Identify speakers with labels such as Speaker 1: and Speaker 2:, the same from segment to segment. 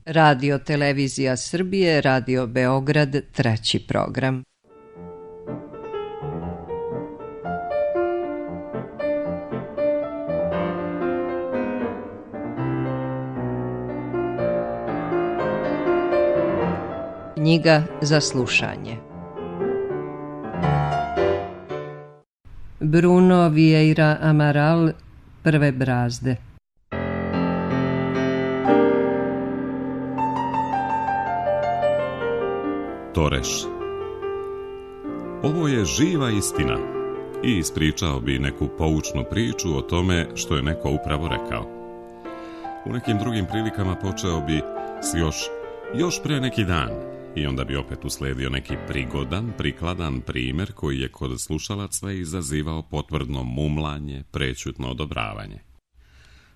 Speaker 1: Radio Televizija Srbije, Radio Beograd, 3. program. Knjiga za slušanje. Bruno Vieira Amaral, Prve brazde.
Speaker 2: Toreš. Ovo je živa istina i ispričao bi neku poučnu priču o tome što je neko upravo rekao. U nekim drugim prilikama počeo bi s još pre neki dan i onda bi opet usledio neki prigodan, prikladan primjer koji je kod slušalaca izazivao potvrdno mumlanje, prećutno odobravanje.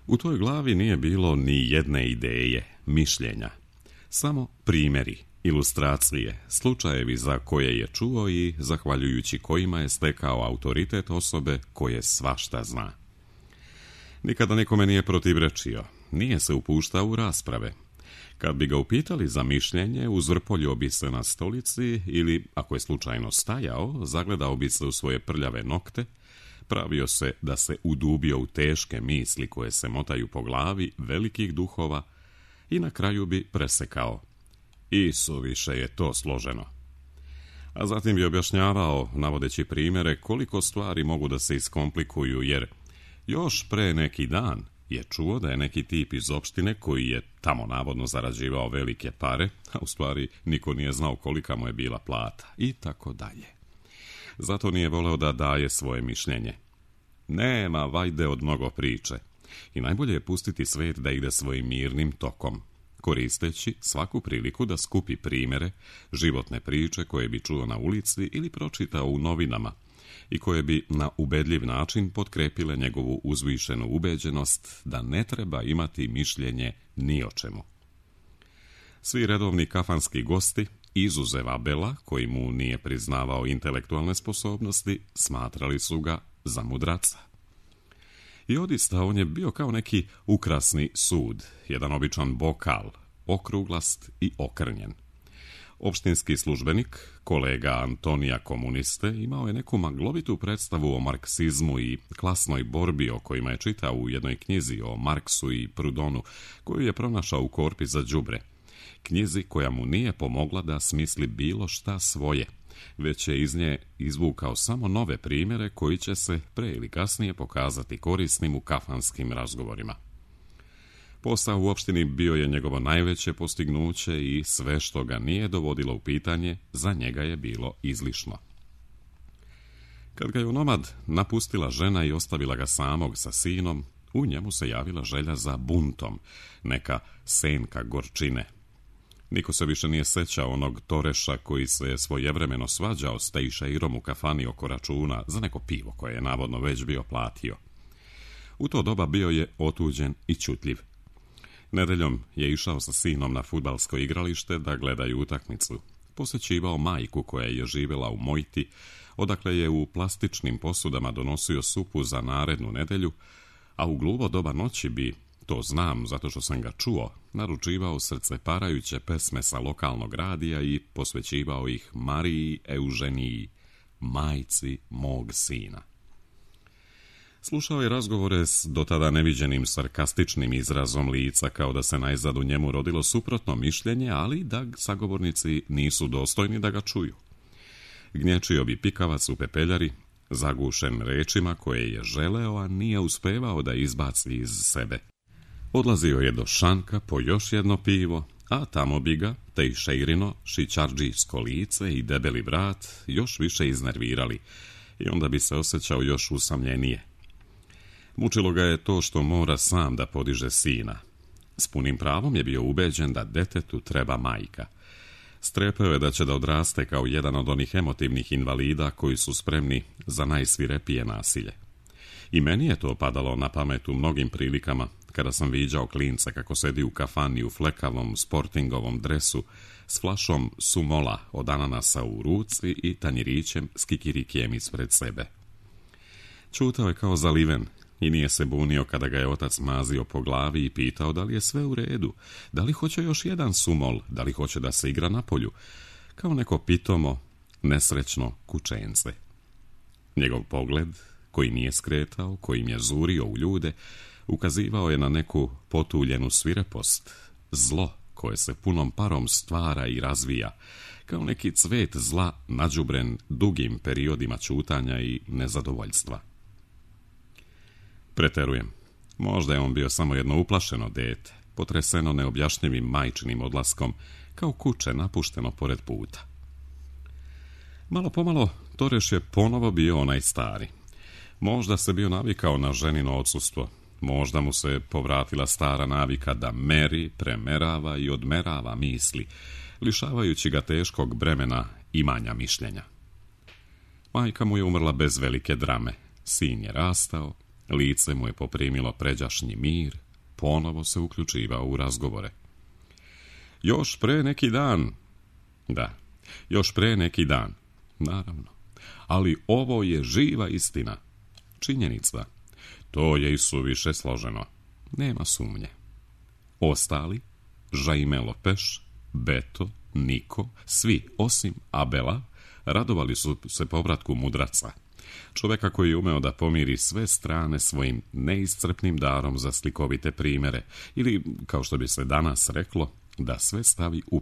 Speaker 2: U toj glavi nije bilo ni jedne ideje, mišljenja, samo primjeri, ilustracije, slučajevi za koje je čuo i zahvaljujući kojima je stekao autoritet osobe koje svašta zna. Nikada nikome nije protivrečio, nije se upuštao u rasprave. Kad bi ga upitali za mišljenje, uzvrpoljio bi se na stolici ili, ako je slučajno stajao, zagledao bi se u svoje prljave nokte, pravio se da se udubio u teške misli koje se motaju po glavi velikih duhova i na kraju bi presekao: "Isuviše je to složeno." A zatim bi objašnjavao, navodeći primjere, koliko stvari mogu da se iskomplikuju, jer još pre neki dan je čuo da je neki tip iz opštine koji je tamo navodno zarađivao velike pare, a u stvari niko nije znao kolika mu je bila plata, i tako dalje. Zato nije voleo da daje svoje mišljenje. Nema vajde od mnogo priče i najbolje je pustiti svet da ide svojim mirnim tokom, koristeći svaku priliku da skupi primjere, životne priče koje bi čuo na ulici ili pročitao u novinama i koje bi na ubedljiv način potkrepile njegovu uzvišenu ubeđenost da ne treba imati mišljenje ni o čemu. Svi redovni kafanski gosti, izuzev Abela, koji mu nije priznavao intelektualne sposobnosti, smatrali su ga za mudraca. I odista on je bio kao neki ukrasni sud, jedan običan bokal, okruglast i okrnjen. Opštinski službenik, kolega Antonija Komuniste, imao je neku maglovitu predstavu o marksizmu i klasnoj borbi o kojima je čitao u jednoj knjizi o Marksu i Proudhonu, koju je pronašao u korpi za đubre. Knjizi koja mu nije pomogla da smisli bilo šta svoje, već je iz nje izvukao samo nove primjere koji će se pre ili kasnije pokazati korisnim u kafanskim razgovorima. Posao u opštini bio je njegovo najveće postignuće i sve što ga nije dovodilo u pitanje, za njega je bilo izlišno. Kad ga je onomad napustila žena i ostavila ga samog sa sinom, u njemu se javila želja za buntom, neka senka gorčine. Niko se više nije sećao onog Toreša koji se je svojevremeno svađao s Tejšeirom u kafani oko računa za neko pivo koje je navodno već bio platio. U to doba bio je otuđen i ćutljiv. Nedeljom je išao sa sinom na fudbalsko igralište da gledaju utakmicu. Posećivao majku koja je živjela u Mojti, odakle je u plastičnim posudama donosio supu za narednu nedelju, a u gluvo doba noći bi, to znam zato što sam ga čuo, naručivao srceparajuće pesme sa lokalnog radija i posvećivao ih Mariji Euženiji, majci mog sina. Slušao je razgovore s dotada neviđenim sarkastičnim izrazom lica, kao da se najzad u njemu rodilo suprotno mišljenje, ali da sagovornici nisu dostojni da ga čuju. Gnječio bi pikavac u pepeljari, zagušen rečima koje je želeo, a nije uspevao da izbaci iz sebe. Odlazio je do šanka po još jedno pivo, a tamo bi ga Tejšeirino, šićardžijsko lice i debeli vrat još više iznervirali i onda bi se osjećao još usamljenije. Mučilo ga je to što mora sam da podiže sina. S punim pravom je bio ubeđen da detetu treba majka. Strepeo je da će da odraste kao jedan od onih emotivnih invalida koji su spremni za najsvirepije nasilje. I meni je to padalo na pamet u mnogim prilikama, kada sam viđao klinca kako sedi u kafani u flekavom sportingovom dresu s flašom sumola od ananasa u ruci i tanjirićem s kikirikijem ispred sebe. Čutao je kao zaliven, i nije se bunio kada ga je otac mazio po glavi i pitao da li je sve u redu, da li hoće još jedan sumol, da li hoće da se igra na polju, kao neko pitomo, nesrećno kućence. Njegov pogled, koji nije skretao, kojim je zurio u ljude, ukazivao je na neku potuljenu svirepost, zlo koje se punom parom stvara i razvija, kao neki cvet zla nađubren dugim periodima ćutanja i nezadovoljstva. Preterujem. Možda je on bio samo jedno uplašeno dete, potreseno neobjašnjivim majčinim odlaskom, kao kuće napušteno pored puta. Malo pomalo Toreš je ponovo bio onaj stari. Možda se bio navikao na ženino odsustvo, možda mu se povratila stara navika da meri, premerava i odmerava misli, lišavajući ga teškog bremena imanja mišljenja. Majka mu je umrla bez velike drame, sin je rastao, lice mu je poprimilo pređašnji mir, ponovo se uključivao u razgovore. Još pre neki dan, naravno, ali ovo je živa istina, činjenica, to je i suviše složeno, nema sumnje. Ostali, Jaime Lopeš, Beto, Niko, svi osim Abela, radovali su se povratku mudraca, čoveka koji je umeo da pomiri sve strane svojim neiscrpnim darom za slikovite primere, ili, kao što bi se danas reklo, da sve stavi u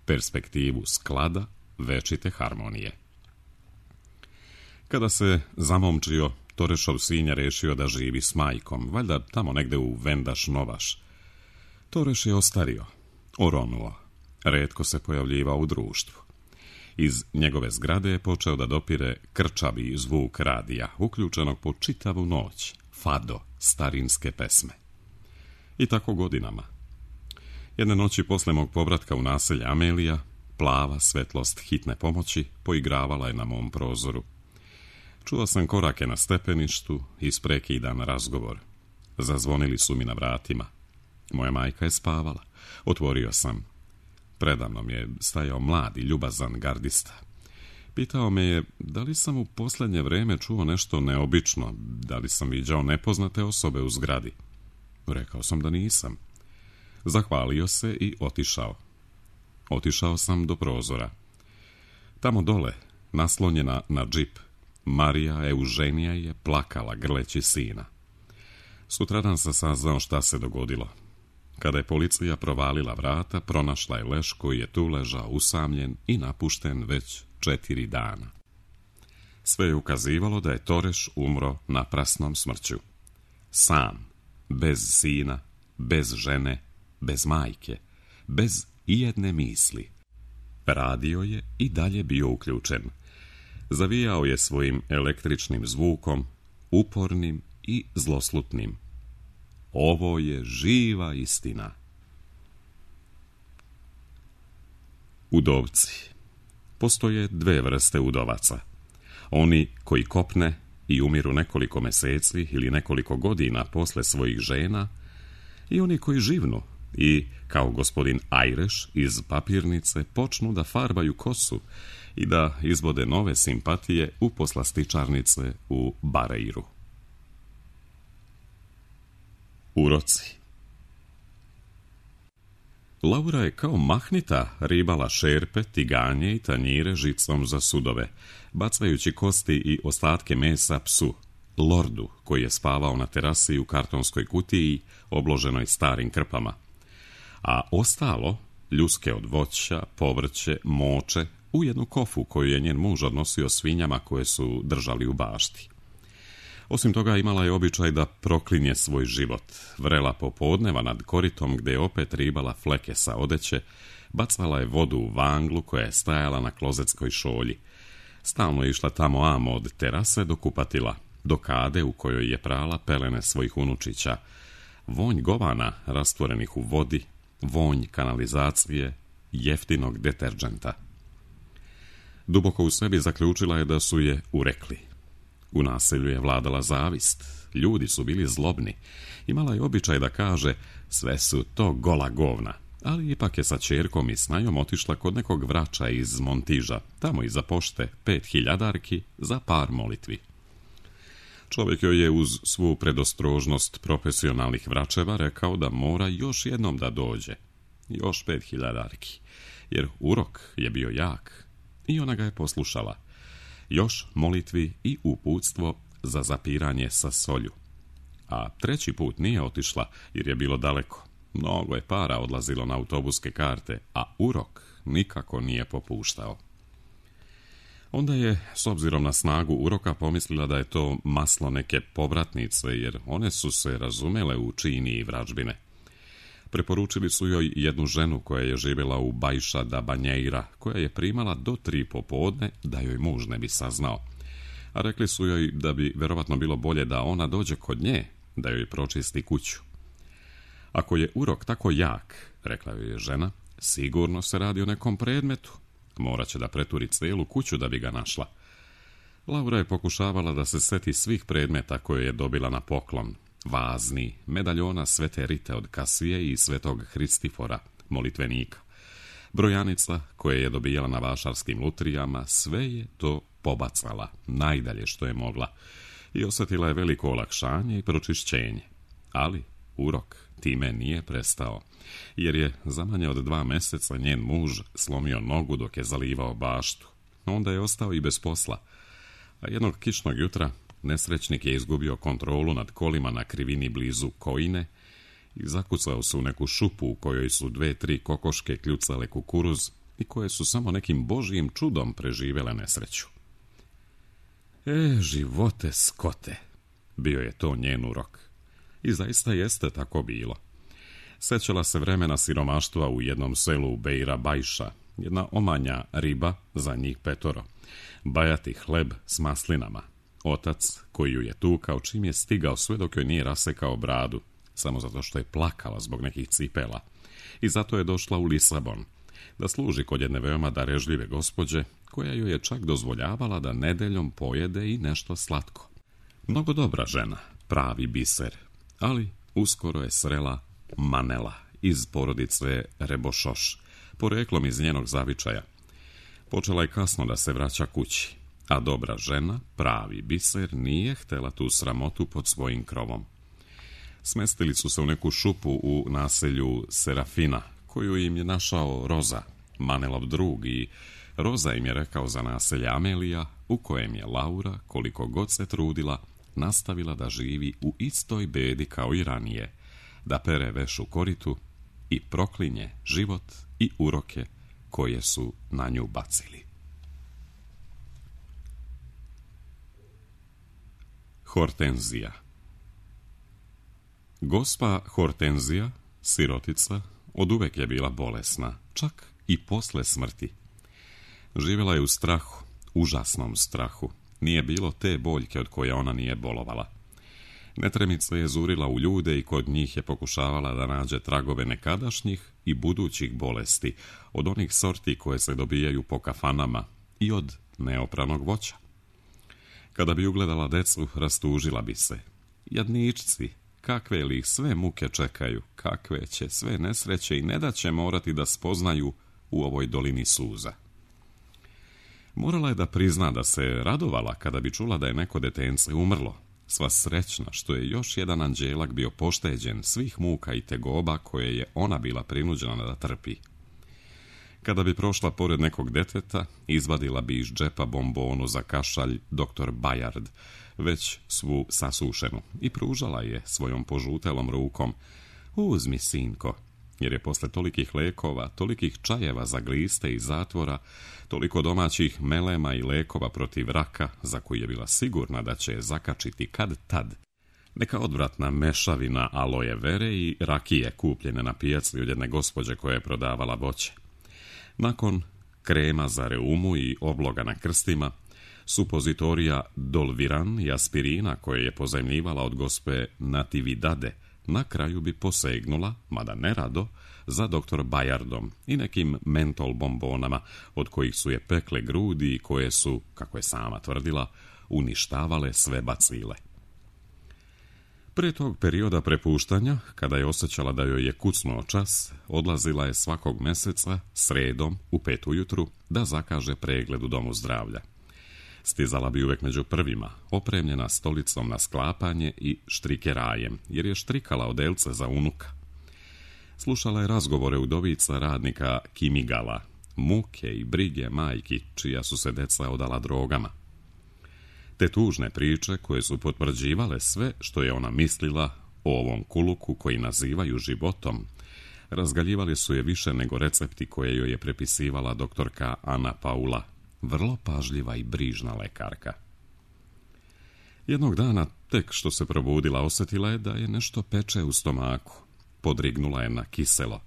Speaker 2: perspektivu sklada, večite harmonije. Kada se zamomčio, Torešov sin je rešio da živi s majkom, valjda tamo negde u Vendaš Novaš. Toreš je ostario, oronuo, retko se pojavljivao u društvu. Iz njegove zgrade je počeo da dopire krčavi zvuk radija, uključenog po čitavu noć, fado, starinske pesme. I tako godinama. Jedne noći posle mog povratka u naselje Amelija, plava svetlost hitne pomoći poigravala je na mom prozoru. Čuo sam korake na stepeništu i isprekidan razgovor. Zazvonili su mi na vratima. Moja majka je spavala. Otvorio sam. Predamnom je stajao mladi, ljubazan gardista. Pitao me je da li sam u posljednje vreme čuo nešto neobično, da li sam viđao nepoznate osobe u zgradi. Rekao sam da nisam. Zahvalio se i otišao. Otišao sam do prozora. Tamo dole, naslonjena na džip, Marija Euženija je plakala grleći sina. Sutradan sam saznao šta se dogodilo. Kada je policija provalila vrata, pronašla je leš koji je tu ležao usamljen i napušten već 4 dana. Sve je ukazivalo da je Toreš umro naprasnom smrću. Sam, bez sina, bez žene, bez majke, bez ijedne misli. Radio je i dalje bio uključen. Zavijao je svojim električnim zvukom, upornim i zloslutnim. Ovo je živa istina. Udovci. Postoje 2 vrste udovaca. Oni koji kopne i umiru nekoliko meseci ili nekoliko godina posle svojih žena, i oni koji živnu i, kao gospodin Ajreš iz papirnice, počnu da farbaju kosu i da izvode nove simpatije u poslastičarnice u Bareiru. Uroci. Laura je kao mahnita ribala šerpe, tiganje i tanjire žicom za sudove, bacajući kosti i ostatke mesa psu, Lordu, koji je spavao na terasi u kartonskoj kutiji obloženoj starim krpama. A ostalo, ljuske od voća, povrće, moče, u jednu kofu koju je njen muž odnosio svinjama koje su držali u bašti. Osim toga, imala je običaj da proklinje svoj život, vrela popodneva nad koritom gde je opet ribala fleke sa odeće, bacala je vodu u vanglu koja je stajala na klozetskoj šolji. Stalno je išla tamo amo od terase do kupatila, do kade u kojoj je prala pelene svojih unučića, vonj govana rastvorenih u vodi, vonj kanalizacije, jeftinog deterđenta. Duboko u sebi zaključila je da su je urekli. U naselju je vladala zavist, ljudi su bili zlobni, imala je običaj da kaže sve su to gola govna, ali ipak je sa ćerkom i snajom otišla kod nekog vrača iz Montiža, tamo iza pošte 5.000 za par molitvi. Čovjek joj je uz svu predostrožnost profesionalnih vračeva rekao da mora još jednom da dođe. Još 5.000 arki, jer urok je bio jak i ona ga je poslušala. Još molitvi i uputstvo za zapiranje sa solju. A 3. put nije otišla jer je bilo daleko. Mnogo je para odlazilo na autobuske karte, a urok nikako nije popuštao. Onda je, s obzirom na snagu uroka, pomislila da je to maslo neke povratnice, jer one su se razumele u čini i vražbine. Preporučili su joj jednu ženu koja je živjela u Baixa da Banheira, koja je primala do 3 popodne da joj muž ne bi saznao. A rekli su joj da bi verovatno bilo bolje da ona dođe kod nje, da joj pročisti kuću. Ako je urok tako jak, rekla joj je žena, sigurno se radi o nekom predmetu. Morat će da preturi cijelu kuću da bi ga našla. Laura je pokušavala da se seti svih predmeta koje je dobila na poklon. Vazni, medaljona Svete Rite od Kasije i Svetog Hristifora, molitvenika. Brojanica koje je dobijala na vašarskim lutrijama, sve je to pobacala, najdalje što je mogla. I osjetila je veliko olakšanje i pročišćenje. Ali urok time nije prestao, jer je za manje od 2 mjeseca njen muž slomio nogu dok je zalivao baštu. Onda je ostao i bez posla. A jednog kišnog jutra nesrećnik je izgubio kontrolu nad kolima na krivini blizu Kojine i zakucao se u neku šupu u kojoj su 2-3 kokoške kljucale kukuruz i koje su samo nekim božjim čudom preživjele nesreću. Živote skote, bio je to njen urok. I zaista jeste tako bilo. Sećala se vremena siromaštva u jednom selu Beira Baixa, jedna omanja riba za njih 5, bajati hleb s maslinama, otac koji ju je tukao čim je stigao sve dok joj nije rasekao bradu, samo zato što je plakala zbog nekih cipela. I zato je došla u Lisabon, da služi kod jedne veoma darežljive gospođe, koja joj je čak dozvoljavala da nedeljom pojede i nešto slatko. Mnogo dobra žena, pravi biser, ali uskoro je srela Manela iz porodice Rebošoš, poreklom iz njenog zavičaja. Počela je kasno da se vraća kući, a dobra žena, pravi biser, nije htjela tu sramotu pod svojim krovom. Smestili su se u neku šupu u naselju Serafina, koju im je našao Roza, Manelov drug, i Roza im je rekao za naselje Amelija, u kojem je Laura, koliko god se trudila, nastavila da živi u istoj bedi kao i ranije, da pere veš u koritu i proklinje život i uroke koje su na nju bacili. Hortenzija. Gospa Hortenzija, sirotica, oduvek je bila bolesna, čak i posle smrti. Živjela je u strahu, užasnom strahu. Nije bilo te boljke od koje ona nije bolovala. Netremica je zurila u ljude i kod njih je pokušavala da nađe tragove nekadašnjih i budućih bolesti, od onih sorti koje se dobijaju po kafanama i od neopranog voća. Kada bi ugledala decu, rastužila bi se. Jadničci, kakve li ih sve muke čekaju, kakve će sve nesreće i ne da će morati da spoznaju u ovoj dolini suza. Morala je da prizna da se radovala kada bi čula da je neko detence umrlo, sva srećna što je još jedan anđelak bio pošteđen svih muka i tegoba koje je ona bila prinuđena da trpi. Kada bi prošla pored nekog deteta, izvadila bi iz džepa bombonu za kašalj dr. Bayard, već svu sasušenu, i pružala je svojom požutelom rukom. Uzmi, sinko, jer je posle tolikih lekova, tolikih čajeva za gliste i zatvora, toliko domaćih melema i lekova protiv raka, za koji je bila sigurna da će je zakačiti kad tad, neka odvratna mešavina aloje vere i rakije kupljene na pijaci od jedne gospođe koja je prodavala voće. Nakon krema za reumu i obloga na krstima, supozitorija Dolviran i aspirina koje je pozajmljivala od gospe Natividade, na kraju bi posegnula, mada nerado, za dr. Bayardom i nekim mentol bombonama od kojih su je pekle grudi i koje su, kako je sama tvrdila, uništavale sve bacile. Pre tog perioda prepuštanja, kada je osjećala da joj je kucnuo čas, odlazila je svakog meseca, sredom, u 5 ujutru, da zakaže pregled u domu zdravlja. Stizala bi uvek među prvima, opremljena stolicom na sklapanje i štrikerajem, jer je štrikala odelce za unuka. Slušala je razgovore udovica radnika Kimigala, muke i brige majki čija su se deca odala drogama. Te tužne priče koje su potvrđivale sve što je ona mislila o ovom kuluku koji nazivaju životom, razgaljivali su je više nego recepti koje joj je prepisivala doktorka Ana Paula, vrlo pažljiva i brižna lekarka. Jednog dana, tek što se probudila, osjetila je da je nešto peče u stomaku. Podrignula je na kiselo.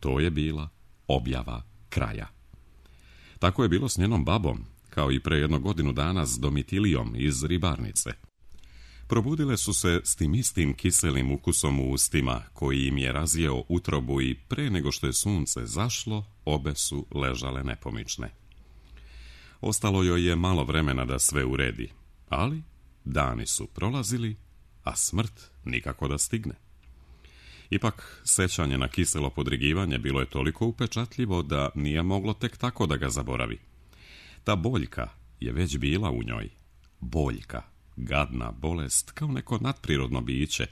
Speaker 2: To je bila objava kraja. Tako je bilo s njenom babom, kao i pre 1 godinu dana s Domitilijom iz ribarnice. Probudile su se s tim istim kiselim ukusom u ustima, koji im je razjeo utrobu i pre nego što je sunce zašlo, obe su ležale nepomične. Ostalo joj je malo vremena da sve uredi, ali dani su prolazili, a smrt nikako da stigne. Ipak, sećanje na kiselo podrigivanje bilo je toliko upečatljivo da nije moglo tek tako da ga zaboravi. Ta boljka je već bila u njoj. Boljka, gadna bolest, kao neko nadprirodno biće,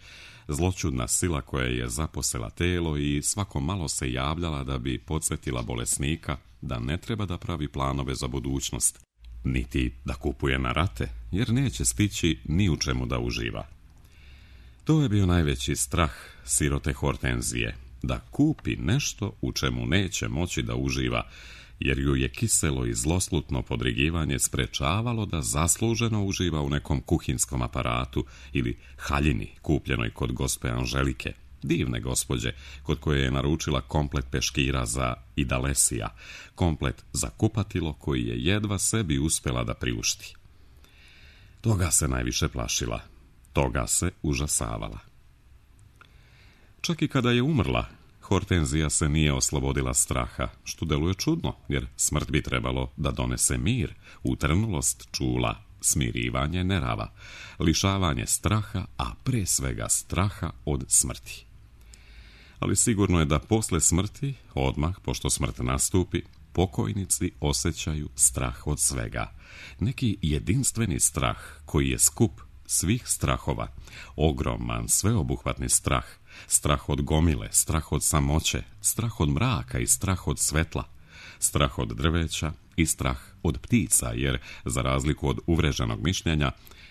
Speaker 2: zloćudna sila koja je zaposela telo i svako malo se javljala da bi podsjetila bolesnika da ne treba da pravi planove za budućnost, niti da kupuje na rate, jer neće stići ni u čemu da uživa. To je bio najveći strah sirote Hortenzije, da kupi nešto u čemu neće moći da uživa, jer ju je kiselo i zloslutno podrigivanje sprečavalo da zasluženo uživa u nekom kuhinskom aparatu ili haljini kupljenoj kod gospe Anželike, divne gospođe, kod koje je naručila komplet peškira za Idalesija, komplet za kupatilo koji je jedva sebi uspjela da priušti. Toga se najviše plašila, toga se užasavala. Čak i kada je umrla, Hortenzija se nije oslobodila straha, što deluje čudno, jer smrt bi trebalo da donese mir, utrnulost čula, smirivanje nerava, lišavanje straha, a pre svega straha od smrti. Ali sigurno je da posle smrti, odmah pošto smrt nastupi, pokojnici osjećaju strah od svega. Neki jedinstveni strah koji je skup svih strahova, ogroman, sveobuhvatni strah, strah od gomile, strah od samoće, strah od mraka i strah od svetla, strah od drveća i strah od ptica, jer, za razliku od uvreženog mišljenja,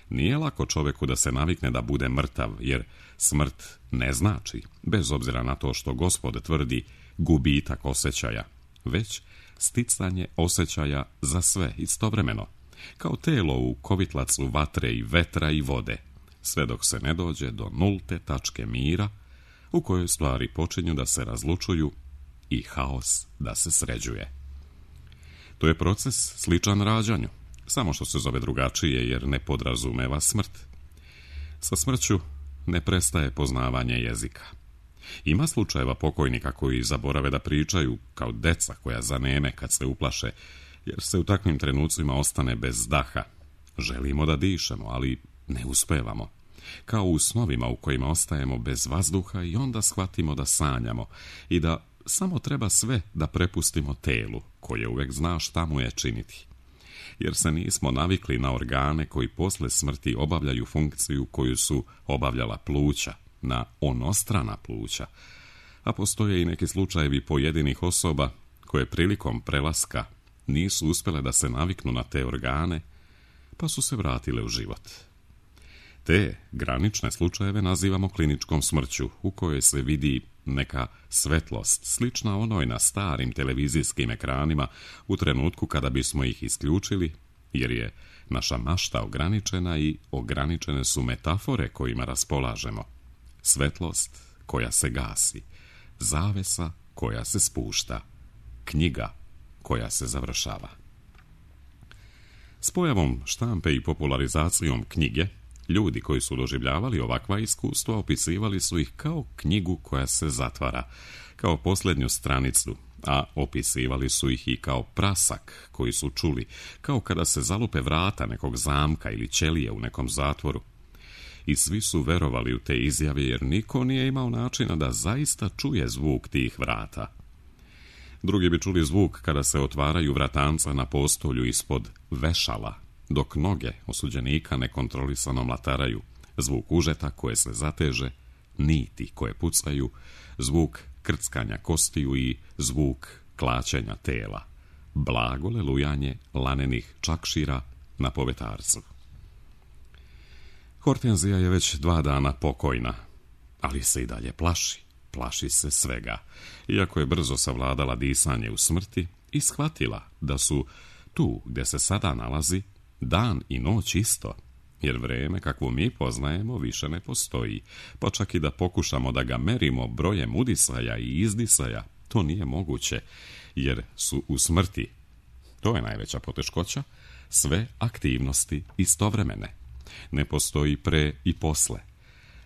Speaker 2: nije lako čoveku da se navikne da bude mrtav, jer smrt ne znači, bez obzira na to što Gospod tvrdi, gubitak osjećaja, već sticanje osjećaja za sve istovremeno, kao telo u kovitlacu vatre i vetra i vode, sve dok se ne dođe do nulte tačke mira, u kojoj stvari počinju da se razlučuju i haos da se sređuje. To je proces sličan rađanju, samo što se zove drugačije jer ne podrazumeva smrt. Sa smrću ne prestaje poznavanje jezika. Ima slučajeva pokojnika koji zaborave da pričaju kao deca koja zaneme kad se uplaše, jer se u takvim trenucima ostane bez daha. Želimo da dišemo, ali ne uspevamo. Kao u snovima u kojima ostajemo bez vazduha i onda shvatimo da sanjamo i da samo treba sve da prepustimo telu, koje uvek zna šta mu je činiti. Jer se nismo navikli na organe koji posle smrti obavljaju funkciju koju su obavljala pluća, na onostrana pluća, a postoje i neki slučajevi pojedinih osoba koje prilikom prelaska nisu uspjele da se naviknu na te organe, pa su se vratile u život. Te granične slučajeve nazivamo kliničkom smrću, u kojoj se vidi neka svetlost, slična onoj na starim televizijskim ekranima u trenutku kada bismo ih isključili, jer je naša mašta ograničena i ograničene su metafore kojima raspolažemo. Svetlost koja se gasi, zavesa koja se spušta, knjiga koja se završava. S pojavom štampe i popularizacijom knjige, ljudi koji su doživljavali ovakva iskustva opisivali su ih kao knjigu koja se zatvara, kao posljednju stranicu, a opisivali su ih i kao prasak koji su čuli, kao kada se zalupe vrata nekog zamka ili ćelije u nekom zatvoru. I svi su verovali u te izjave jer niko nije imao načina da zaista čuje zvuk tih vrata. Drugi bi čuli zvuk kada se otvaraju vratanca na postolju ispod vešala, dok noge osuđenika nekontrolisano mlataraju, zvuk užeta koje se zateže, niti koje pucaju, zvuk krckanja kostiju i zvuk klaćenja tela, blago lelujanje lanenih čakšira na povetarcu. Hortenzija je već 2 dana pokojna, ali se i dalje plaši se svega, iako je brzo savladala disanje u smrti i shvatila da su tu gdje se sada nalazi dan i noć isto, jer vrijeme kakvo mi poznajemo više ne postoji, pa čak i da pokušamo da ga merimo brojem udisaja i izdisaja, to nije moguće, jer su u smrti, to je najveća poteškoća, sve aktivnosti istovremene. Ne postoji pre i posle.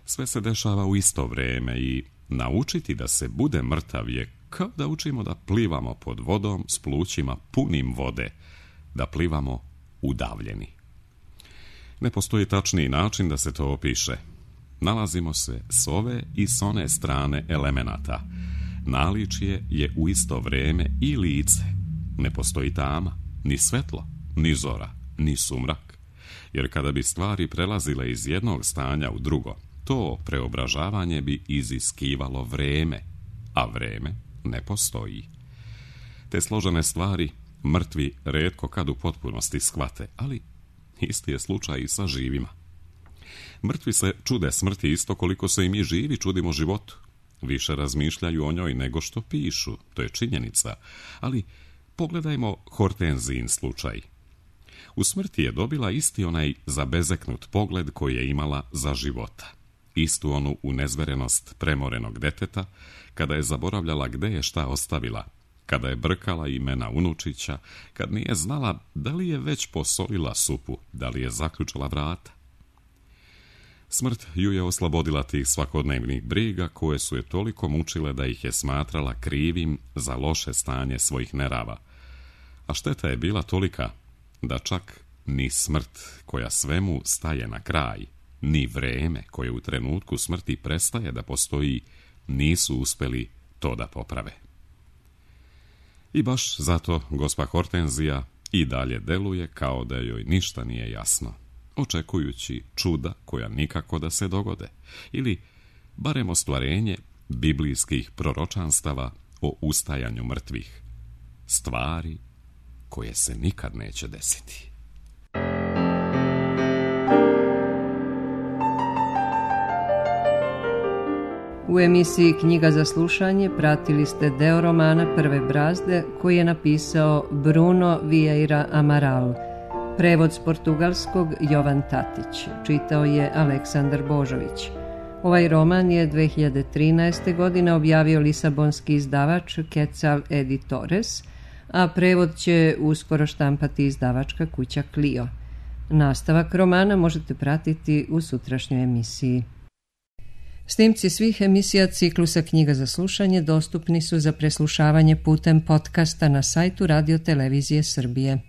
Speaker 2: Sve se dešava u isto vrijeme i naučiti da se bude mrtav je kao da učimo da plivamo pod vodom s plućima punim vode, da plivamo udavljeni. Ne postoji tačniji način da se to opiše. Nalazimo se s ove i s one strane elemenata. Naličje je u isto vrijeme i lice. Ne postoji tama, ni svetlo, ni zora, ni sumrak. Jer kada bi stvari prelazile iz jednog stanja u drugo, to preobražavanje bi iziskivalo vreme, a vreme ne postoji. Te složene stvari mrtvi retko kad u potpunosti shvate, ali isti je slučaj i sa živima. Mrtvi se čude smrti isto koliko se i mi živi čudimo životu. Više razmišljaju o njoj nego što pišu, to je činjenica, ali pogledajmo Hortenzijin slučaj. U smrti je dobila isti onaj zabezeknut pogled koji je imala za života. Istu onu unezverenost premorenog deteta, kada je zaboravljala gde je šta ostavila, kada je brkala imena unučića, kad nije znala da li je već posolila supu, da li je zaključala vrata. Smrt ju je oslobodila tih svakodnevnih briga koje su je toliko mučile da ih je smatrala krivim za loše stanje svojih nerava. A šteta je bila tolika da čak ni smrt koja svemu staje na kraj, ni vreme koje u trenutku smrti prestaje da postoji, nisu uspjeli to da poprave. I baš zato gospa Hortenzija i dalje deluje kao da joj ništa nije jasno, očekujući čuda koja nikako da se dogode, ili barem ostvarenje biblijskih proročanstava o ustajanju mrtvih, stvari koje se nikad neće desiti.
Speaker 1: U emisiji Knjiga za slušanje pratili ste deo romana Prve brazde koji je napisao Bruno Vieira Amaral. Prevod s portugalskog Jovan Tatić. Čitao je Aleksandar Božović. Ovaj roman je 2013. godine objavio lisabonski izdavač Quetzal Editores, a prevod će uskoro štampati izdavačka kuća Clio. Nastavak romana možete pratiti u sutrašnjoj emisiji. Snimci svih emisija ciklusa Knjiga za slušanje dostupni su za preslušavanje putem podcasta na sajtu Radio Televizije Srbije.